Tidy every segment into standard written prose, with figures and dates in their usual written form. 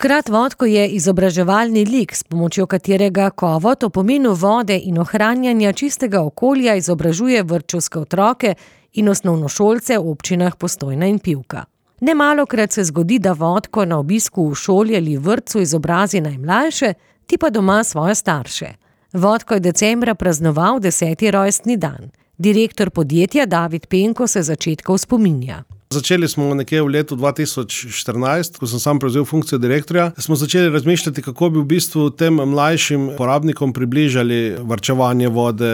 Škrat Vodko je izobraževalni lik, s pomočjo katerega Kovot o pomenu vode in ohranjanja čistega okolja izobražuje vrtčevske otroke in osnovnošolce v občinah Postojna in Pivka. Nemalokrat se zgodi, da Vodko na obisku v šoli ali vrtcu izobrazi najmlajše, ti pa doma svoje starše. Vodko je decembra praznoval 10. rojstni dan. Direktor podjetja David Penko se začetkov spominja. Začeli smo nekje v letu 2014, ko sem sam prevzel funkcijo direktorja. Smo začeli razmišljati, kako bi v bistvu tem mlajšim porabnikom približali varčevanje vode,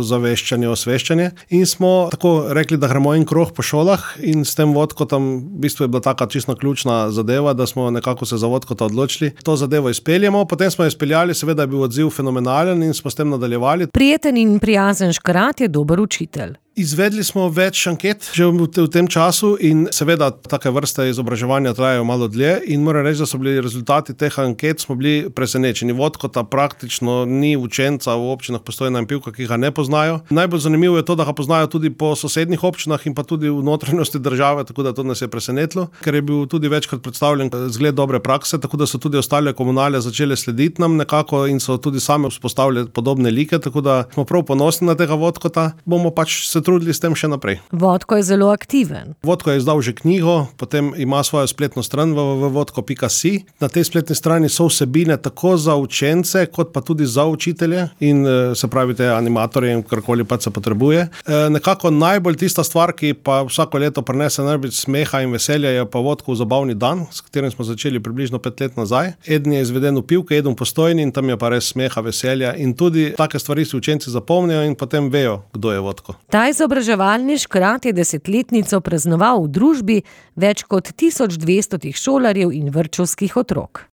zaveščanje, osveščanje. In smo tako rekli, da gremo en krog po šolah in s tem Vodkotom v bistvu je bila taka čisto ključna zadeva, da smo nekako se za Vodkota odločili. To zadevo izpeljemo, potem smo jo izpeljali, seveda je bil odziv fenomenalen in smo s tem nadaljevali. Prijeten in prijazen Škrat je dober učitelj. Izvedli smo več anket že v tem času in seveda take vrste izobraževanja trajajo malo dlje in moram reči, da so bili rezultati teh anket, smo bili presenečeni. Vodkota praktično ni učenca v občinah Postojna in Pivka, ki ga ne poznajo. Najbolj zanimivo je to, da ga poznajo tudi po sosednjih občinah in pa tudi v notranjosti države, tako da to nas je presenetilo, ker je bil tudi večkrat predstavljen zgled dobre prakse, tako da so tudi ostale komunale začele slediti nam nekako in so tudi same vzpostavljali podobne like, tako da smo prav ponosni na tega Vodkota. Bomo pač se trudili s tem še naprej. Vodko je zelo aktiven. Vodko je izdal že knjigo, potem ima svojo spletno stran www.vodko.si. Na tej spletni strani so vsebine tako za učence, kot pa tudi za učitelje in se pravi te animatorje in karkoli pa se potrebuje. Nekako najbolj tista stvar, ki pa vsako leto prinese najbolj smeha in veselja, je pa Vodkov zabavni dan, s katerim smo začeli približno 5 let nazaj. Eden je izveden v Pivki, eden v Postojni in tam je pa res smeha, veselja in tudi take stvari si učenci zapomnijo in potem vejo, kdo je Vodko. Izobraževalni Škrat je 10-letnico praznoval v družbi več kot 1200 šolarjev in vrtčevskih otrok.